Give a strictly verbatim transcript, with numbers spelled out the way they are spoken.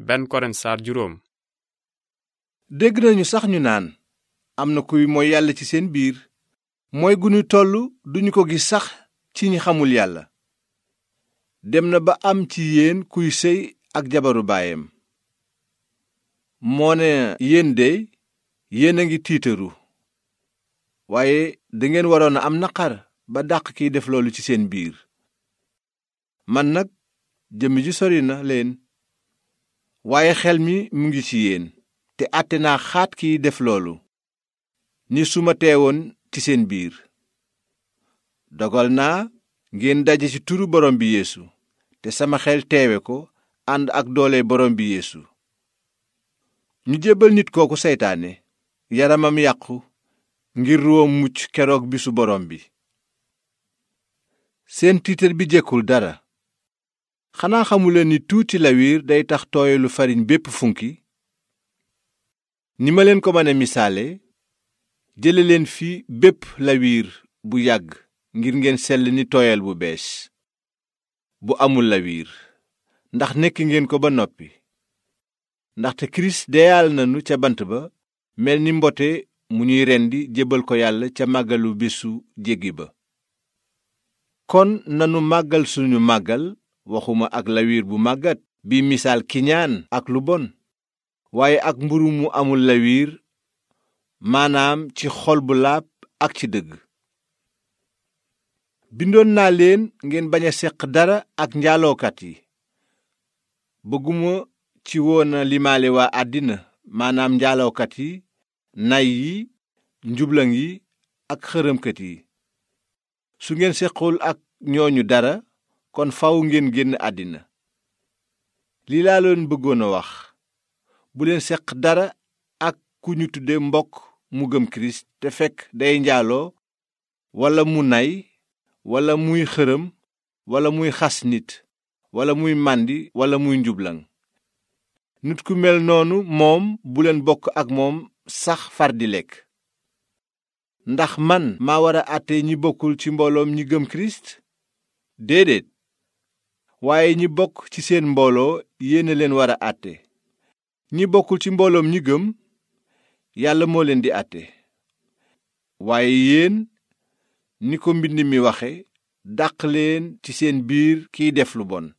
benn Korent saar juróom. dégg nañu sax ñu naan am na kuy mooy yàlla ci seen biir mooy gu ñu toll duñu ko gis sax ci ñi xamul yàlla. dem na ba am ci yéen kuy sëy ak jabaru baayam. moo ne yéen dey yéen a ngi tiitaru waaye dangeen waroon a am naqar ba dàq kiy def loolu ci seen biir. man nag jëmm ji sori na leen waaye xel mi mu ngi ci yéen te àtte naa xaat kiy def loolu ni su ma teewoon ci seen biir. dogal naa ngeen daje ci turu borom bi Yeesu te sama xel teewe ko ànd ak doole borom bi Yeesu. ñu jébbal nit kooku seytaane yaramam yàqu ngir ruwam mucc keroog bisu borom bi. seen tiitar bi jekkul dara. xanaa xamuleen ni tuuti lawiir day tax tooyalu fariñ bépp funki. ni ma leen ko mën a misaale jële leen fi bépp lawiir bu yàgg ngir ngeen sell ni tooyal bu bees bu amul lawiir ndax nekk ngeen ko ba noppi. ndaxte kirist deyaal nanu ca bant ba mel ni mbote mu ñuy rendi jébbal ko yàlla ca màggalu bésu jéggi ba. kon nanu màggal suñu màggal waxuma ak lawiir bu màggat bi misaal kiñaan ak lu bon waaye ak mburu mu amul lawiir maanaam ci xol bu laab ak ci dëgg. bindoon naa leen ngeen bañ a seq dara ak njaalookat yi. bëgguma ci woon a limaale waa àddina maanaam njaalookat yi nay yi njublaŋ yi ak xërëmkat yi. su ngeen sequl ak ñooñu dara kon faw ngeen génn àddina. lii laa leen bëggoon a wax bu leen seq dara ak ku ñu tudde mbokk mu gëm kirist te fekk day njaaloo walla mu nay walla muy xërëm walla muy xas nit walla muy màndi walla muy njublaŋ. nit ku mel noonu moom bu leen bokk ak moom sax far di lekk. ndax man maa war a àtte ñi bokkul ci mbooloom ñi gëm kirist? déedéet. waaye ñi bokk ci seen mbooloo yéen a leen war a àtte. ñi bokkul ci mbooloom ñi gëm yàlla moo leen di àtte. waaye yéen ni ko mbind mi waxe dàq leen ci seen biir kiy def lu bon.